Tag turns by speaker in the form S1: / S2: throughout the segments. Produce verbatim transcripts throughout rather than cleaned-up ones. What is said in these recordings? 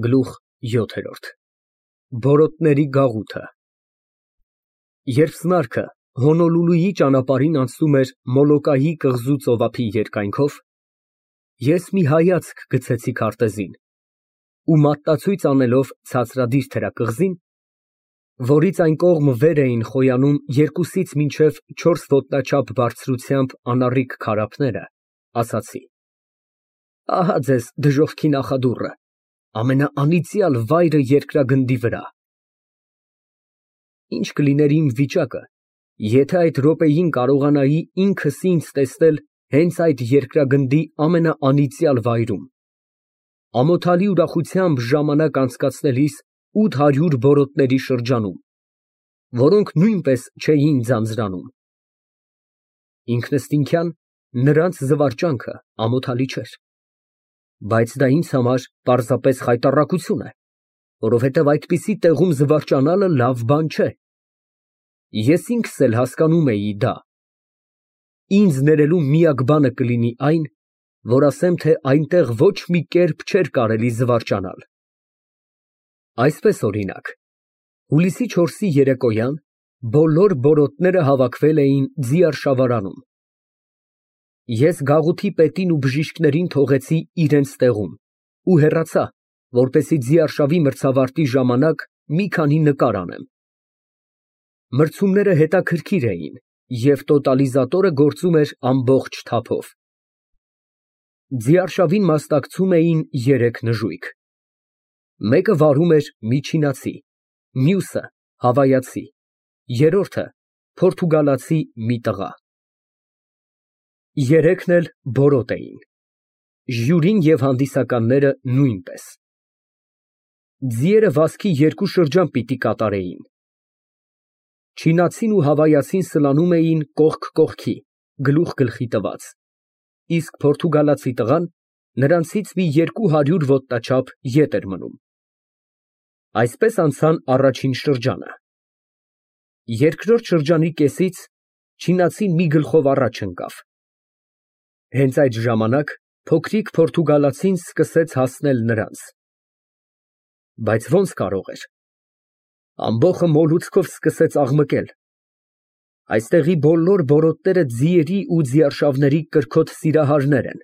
S1: Գլուխ յոթ Բորոտների գաղութը Երբ սնարքը Հոնոլուլուի ճանապարհին անցնում էր Մոլոկայի կղզու ծովափի երկայնքով, ես մի հայացք գցեցի քարտեզին ու մատնացույց անելով ցածրադիր թերակղզին, որից այն կողմ վեր էին խոյանում երկուսից մինչև չորս ոտնաչափ բարձրությամբ անառիկ քարափները, ասացի. ահա ձեզ դժոխքի նախադուռը, ամենաանիծյալ վայրը երկրագնդի վրա։ Ինչ կլիներ իմ վիճակը, եթե այդ րոպեին կարողանայի ինքս ինձ տեսնել հենց այդ երկրագնդի ամենաանիծյալ վայրում, ամոթալի ուրախությամբ ժամանակ անցկացնելիս ութ հարյուր բորոտների շրջանում, որոնք նույնպես չէին ձանձրանում։ Ինքնըստինքյան նրանց զվարճանքը ամոթալի չէր, բայց դա ինձ համար պարզապես խայտառակություն է, որովհետև այդպիսի տեղում զվարճանալը լավ բան չէ։ Ես ինքս էլ հասկանում էի դա։ Ինձ ներելու միակ բանը կլինի այն, որ ասեմ, թե այնտեղ ոչ մի կերպ չէր կարելի զվարճանալ։ Այսպես, օրինակ, հուլիսի չորսի երեկոյան բոլոր բորոտները հավաքվել էին ձիարշավարանում։ Ես գաղութի պետին ու բժիշկներին թողեցի իրենց տեղում ու հեռացա, որպեսզի ձիարշավի մրցավարտի ժամանակ մի քանի նկար անեմ։ Մրցումները հետաքրքիր էին, և տոտալիզատորը գործում էր ամբողջ թափով։ Ձիարշավին մասնակցում էին երեք նժույգ։ Մեկը վարում էր միջինացի, մյուսը հավայացի, երրորդը պորտուգալացի մի տղա։ Երեքն էլ բորոտ էին, ժյուրին և հանդիսականները նույնպես։ Ձիերը վազքի երկու շրջան պիտի կատարեին։ Չինացին ու հավայացին սլանում էին կողք կողքի, գլուխ գլխի տված, իսկ պորտուգալացի տղան նրանցից մի երկու հարյուր ոտնաչափ ետ էր մնում։ Այսպես անցան առաջին շրջանը։ Երկրորդ շրջանի կեսից չինացին մի գլխով առաջ ընկավ։ Հենց այդ ժամանակ փոքրիկ պորտուգալացին սկսեց հասնել նրանց։ Բայց ո՞նց կարող էր։ Ամբոխը մոլուցքով սկսեց աղմկել։ Այստեղի բոլոր բորոտները ձիերի ու ձիարշավների կրքոտ սիրահարներ են։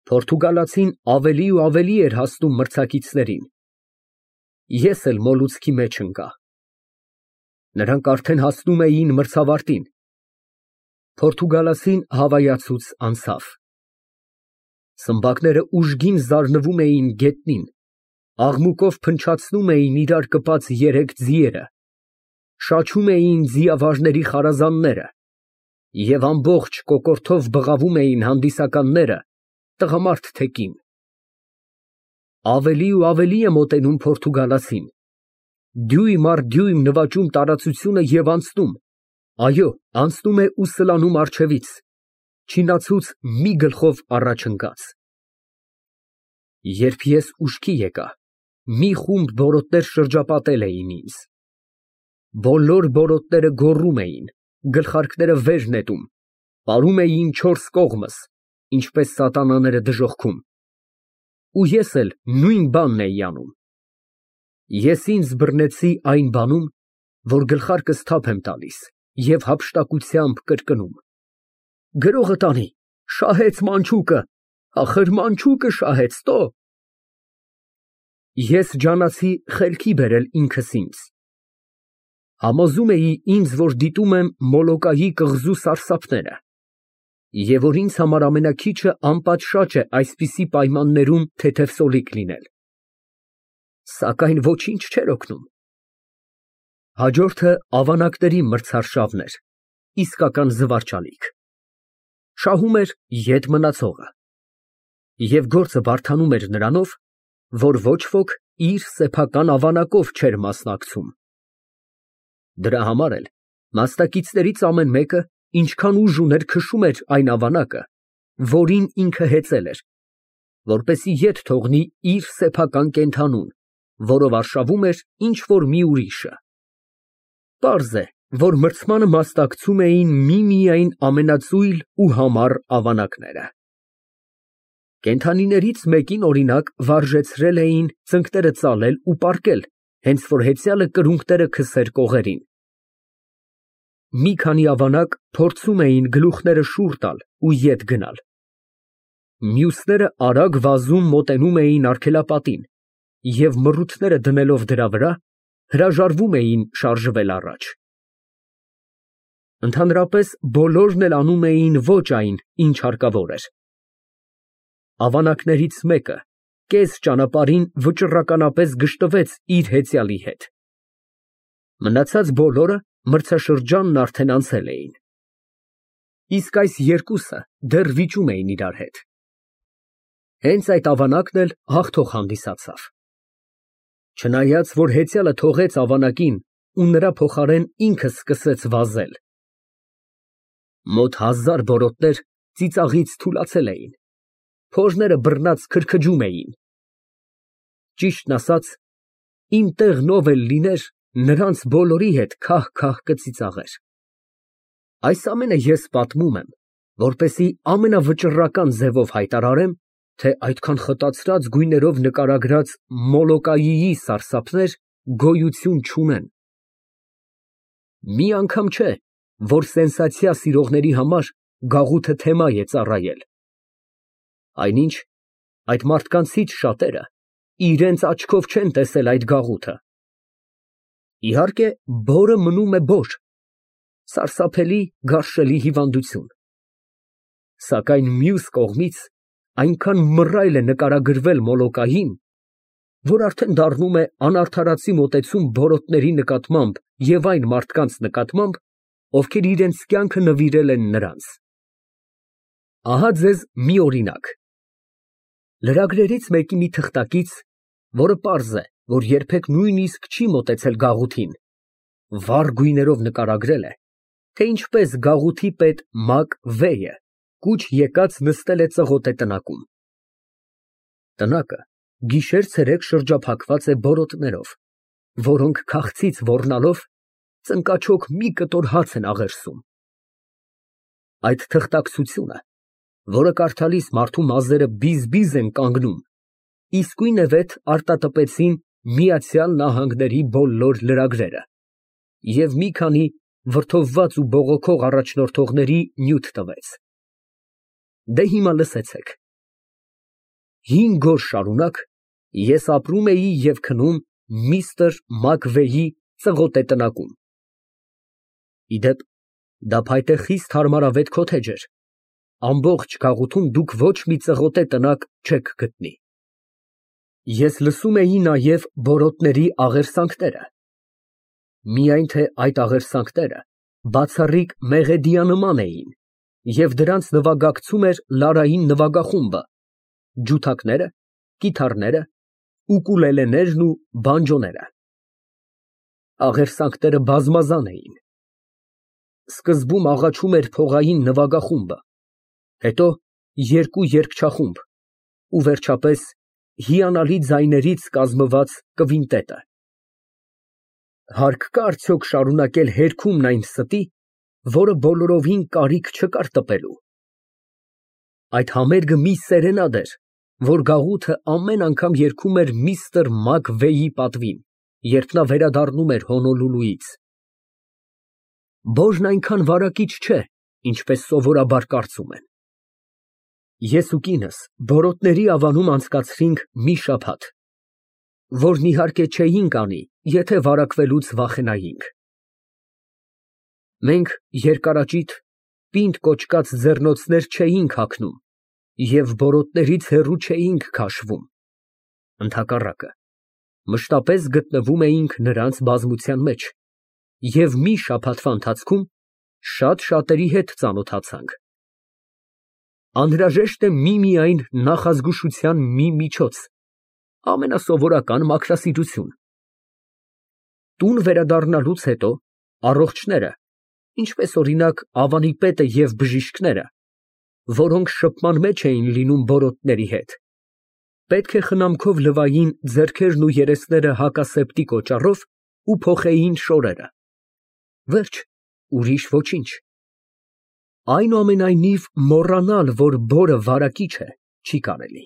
S1: Պորտուգալացին ավելի ու ավելի էր հասնում մրցակիցներին։ Ես էլ մոլուցքի մեջ ընկա։ Նրանք արդեն հասնում էին մրցավարտին։ Պորտուգալացին հավայացուց անցավ։ Սմբակները ուժգին զարնվում էին գետնին, աղմուկով փնչացնում էին իրար կպած երեք ձիերը, շաչում էին ձիավարների խարազանները և ամբողջ կոկորդով բղավում էին հանդիսականները, տղամարդ թե կին։ Ավելի ու ավելի է մոտենում պորտուգալացին, դյույմ առ դյույմ նվաճում տարածությունը և անցնում, այո, անցնում է ու սլանում առջևից, չինացուց մի գլխով առաջ ընկած։ Երբ ես ուշքի եկա, մի խումբ բորոտներ շրջապատել էին ինձ։ Բոլոր բորոտները գոռում էին, գլխարկները վեր նետում, պարում էին չորս կողմս, ինչպես սատանաները դժոխքում։ Ու ես էլ նույն բանն էի անում։ Ես ինձ բռնեցի այն բանում, որ գլխարկս թափ եմ տալիս և հափշտակությամբ կրկնում. «Գրողը տանի, շահեց մանչուկը, ախր մանչուկը շահեց, տո»։ Ես ջանացի խելքի բերել ինքս ինձ։ Համոզում էի ինձ, որ դիտում եմ Մոլոկայի կղզու սարսափները, և որ ինձ համար ամենաքիչը անպատշաճ է այսպիսի պայմաններում թեթևսոլիկ լինել։ Սակայն ոչինչ չէր օգնում։ Հաջորդը ավանակների մրցարշավն էր, իսկական զվարճալիք։ Շահում էր ետ մնացողը։ Եվ գործը բարդանում էր նրանով, որ ոչ ոք իր սեփական ավանակով չէր մասնակցում։ Դրա համար էլ մասնակիցներից ամեն մեկը ինչքան ուժ ուներ քշում էր այն ավանակը, որին ինքը հեծել էր, որպեսզի ետ թողնի իր սեփական կենդանուն, որով արշավում էր ինչ֊որ մի ուրիշը։ Պարզ է, որ մրցմանը մասնակցում էին միմիայն ամենածույլ ու համառ ավանակները։ Կենդանիներից մեկին, օրինակ, վարժեցրել էին ծնկները ծալել ու պառկել, հենց որ հեծյալը կրունկները քսեր կողերին։ Մի քանի ավանակ փորձում էին գլուխները շուռ տալ ու ետ գնալ։ Մյուսները արագ վազում մոտենում էին արգելապատին և մռութները դնելով դրա վրա, հրաժարվում էին շարժվել առաջ։ Ընդհանրապես բոլորն էլ անում էին ոչ այն, ինչ հարկավոր էր։ Ավանակներից մեկը կես ճանապարհին վճռականապես գժտվեց իր հեծյալի հետ։ Մնացած բոլորը մրցաշրջանն արդեն անցել էին։ Իսկ այս երկուսը դեռ վիճում էին իրար հետ։ Հենց այդ ավանակն էլ հաղթող հանդիսացավ։ Չնայած որ հեծյալը թողեց ավանակին ու նրա փոխարեն ինքը սկսեց վազել։ Մոտ հազար բորոտներ ծիծաղից թուլացել էին, փոժները բռնած քրքջում էին։ Ճիշտն ասած, իմ տեղն ով էլ լիներ, նրանց բոլորի հետ քահ֊քահ կծիծաղեր։ Այս ամենը ես պատմում եմ, որպեսզի ամենավճռական ձևով հայտարարեմ, թե այդքան խտացրած գույներով նկարագրած Մոլոկայիի սարսափներ գոյություն չունեն։ Մի անգամ չէ, որ սենսացիա սիրողների համար գաղութը թեմա է ծառայել։ Այնինչ, այդ մարդկանցից շատերը իրենց աչքով չեն տեսել այդ գաղութը։ Իհարկե, բորը մնում է բոր, սարսափելի, գարշելի հիվանդություն։ Սակայն մյուս կողմից այնքան մռայլ է նկարագրվել Մոլոկային, որ արդեն դառնում է անարդարացի մոտեցում բորոտների նկատմամբ և այն մարդկանց նկատմամբ, ովքեր իրենց կյանքը նվիրել են նրանց։ Ահա ձեզ մի օրինակ։ Լրագրերից մեկի մի թղթակից, որը պարզ է, որ երբեք նույնիսկ չի մոտեցել գաղութին, վառ գույներով նկարագրել է, թե ինչպես գաղութի պետ Մակ Վեյը կուչ եկած նստել է ծղոտե տնակում։ Տնակը գիշեր֊ցերեկ շրջափակված է բորոտներով, որոնք քաղցից ոռնալով ծնկաչոք մի կտոր հաց են աղերսում։ Այդ թղթակցությունը, որը կարդալիս մարդու մազերը բիզ֊բիզ են կանգնում, իսկույնևեթ արտատպեցին Միացյալ Նահանգների բոլոր լրագրերը և մի քանի վրդովված ու բողոքող առաջնորդողների նյութ տվեց։ Դե հիմա լսեցեք։ Հինգ օր շարունակ ես ապրում էի և քնում միստր Մակվեյի ծղոտե տնակում։ Ի դեպ, դա փայտե խիստ հարմարավետ քոթեջ էր, ամբողջ գաղութում դուք ոչ մի ծղոտե տնակ չեք գտնի։ Ես լսում էի նաև բորոտների աղերսանքները։ Միայն թե այդ աղերսանքները բացառիկ մեղեդիանման էին, և դրանց նվագակցում էր լարային նվագախումբը, ջութակները, կիթառները, ուկուլելեներն ու բանջոները։ Աղերսանքները բազմազան էին։ Սկզբում աղաչում էր փողային նվագախումբը, հետո երկու երգչախումբ ու վերջապես հիանալի ձայներից կազմված կվինտետը։ Հարկ կա արդյոք շարունակել հերգումն այն ստի, որը բոլորովին կարիք չկար տպելու։ Այդ համերգը մի սերենադ էր, որ գաղութը ամեն անգամ երգում էր միստր Մակվեյի պատվին, երբ նա վերադառնում էր Հոնոլուլուից։ Բորն այնքան վարակիչ չէ, ինչպես սովորաբար կարծում են։ Ես ու կինս բորոտների ավանում անցկացրինք մի շաբաթ, որն իհարկե չէինք անի, եթե վարակվելուց վախենայինք։ Մենք երկարաճիտ, պինդ կոճկած ձեռնոցներ չէինք հագնում և բորոտներից հեռու չէինք քաշվում, ընդհակառակը, մշտապես գտնվում էինք նրանց բազմության մեջ և մի շաբաթվա ընթացքում շատ շատերի հետ ծանոթացանք։ Անհրաժեշտ է միմիայն նախազգուշության մի միջոց, ամենասովորական մաքրասիրություն։ Տուն վերադառնալուց հետո առողջները, ինչպես օրինակ ավանի պետը և բժիշկները, որոնք շփման մեջ էին լինում բորոտների հետ, պետք է խնամքով լվային ձեռքերն ու երեսները հակասեպտի կոճառով ու փոխեին շորերը։ Վերջ, ուրիշ ոչինչ։ Այնուամենայնիվ, մոռանալ, որ բորը վարակիչ է, չի կարելի։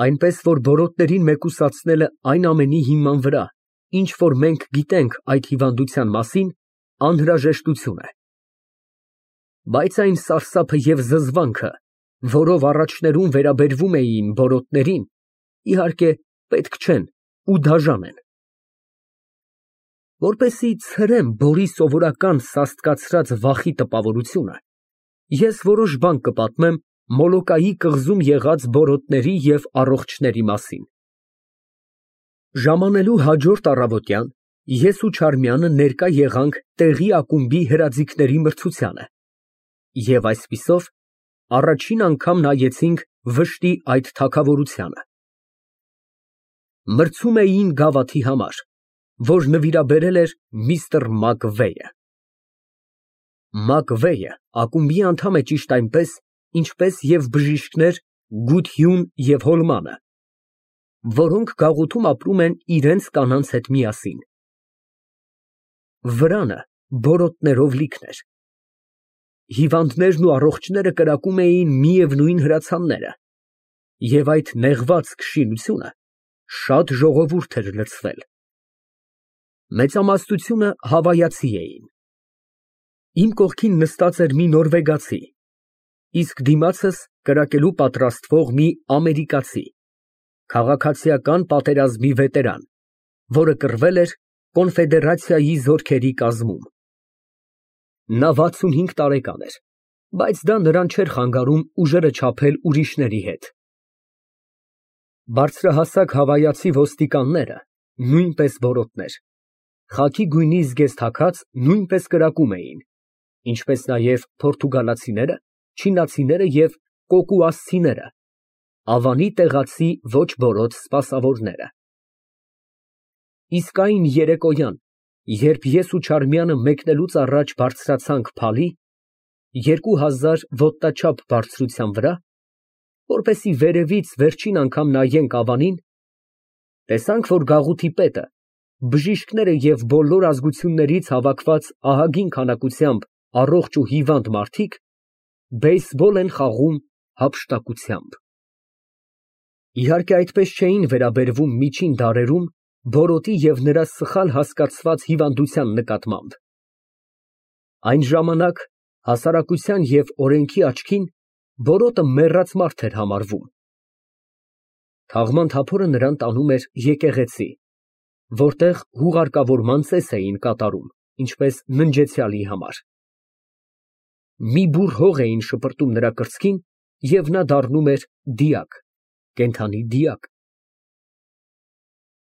S1: Այնպես որ բորոտներին մեկուսացնելը այն ամենի հիման վրա, ինչ որ մենք գիտենք այդ հիվանդության մասին, անհրաժեշտություն է։ Բայց այն սարսափը և զզվանքը, որով առաջներում վերաբերվում էին բորոտներին, իհարկե, պետք չեն ու դաժան են։ Որպեսզի ցրեմ բորի սովորական սաստկացրած վախի տպավորությունը, ես որոշ բան կպատմեմ Մոլոկայի կղզում եղած բորոտների և առողջների մասին։ Ժամանելու հաջորդ առավոտյան ես ու Չարմյանը ներկա եղանք տեղի ակումբի հրաձիգների մրցությանը և այսպիսով առաջին անգամ նայեցինք վշտի այդ թագավորությանը։ Մրցում էին գավաթի համար, որ նվիրաբերել էր միստր Մակվեյը։ Մակվեյը ակումբի անդամ է ճիշտ այնպես, ինչպես և բժիշկներ Գություն և Հոլմանը, որոնք գաղութում ապրում են իրանց կանանց հետ միասին։ Վրանը բորոտներով լիքն էր։ Հիվանդներն ու առողջները կրակում էին միևնույն հրացանները, և այդ նեղված քշինությունը շատ ժողովուրդ էր լցվել։ Մեծամասնությունը հավայացի էին։ Իմ կողքին նստած էր մի նորվեգացի, իսկ դիմացս կրակելու պատրաստվող մի ամերիկացի, քաղաքացիական պատերազմի վետերան, որը կռվել էր կոնֆեդերացիայի զորքերի կազմում։ Նա վաթսունհինգ տարեկան էր, բայց դա նրան չէր խանգարում ուժերը չափել ուրիշների հետ։ Բարձրահասակ հավայացի ոստիկանները նույնպես բորոտներ, խաքի գույնի զգեստ հագած նույնպես կրակում էին, ինչպես նաև պորտուգալացիները, չինացիները և կոկուասցիները, Ավանի տեղացի ոչ բորոտ սպասավորները։ Իսկ այն երեկոյան, երբ ես ու Չարմյանը մեկնելուց առաջ բարձրացանք փալի, երկու հազար ոտնաչափ բարձրության վրա, որպեսզի վերևից վերջին անգամ նայենք Ավանին, տեսանք, որ գաղութի պետը, բժիշկները և բոլոր ազգություններից հավաքված ահագին քանակությամբ առողջ ու հիվանդ մարդիկ բեյսբոլ են խաղում հափշտակությամբ։ Իհարկե, այդպես չէին վերաբերվում միջին դարերում բորոտի և նրա սխալ հասկացված հիվանդության նկատմամբ։ Այն ժամանակ հասարակության և օրենքի աչքին բորոտը մեռած մարդ էր համարվում։ Թաղման թափորը նրան տանում էր եկեղեցի, որտեղ հուղարկավորման ծես էին կատարում, ինչպես ննջեցյալի համար։ Մի բուռ հող էին շպրտում նրա կրծքին, և նա դառնում էր դիակ, կենդանի դիակ։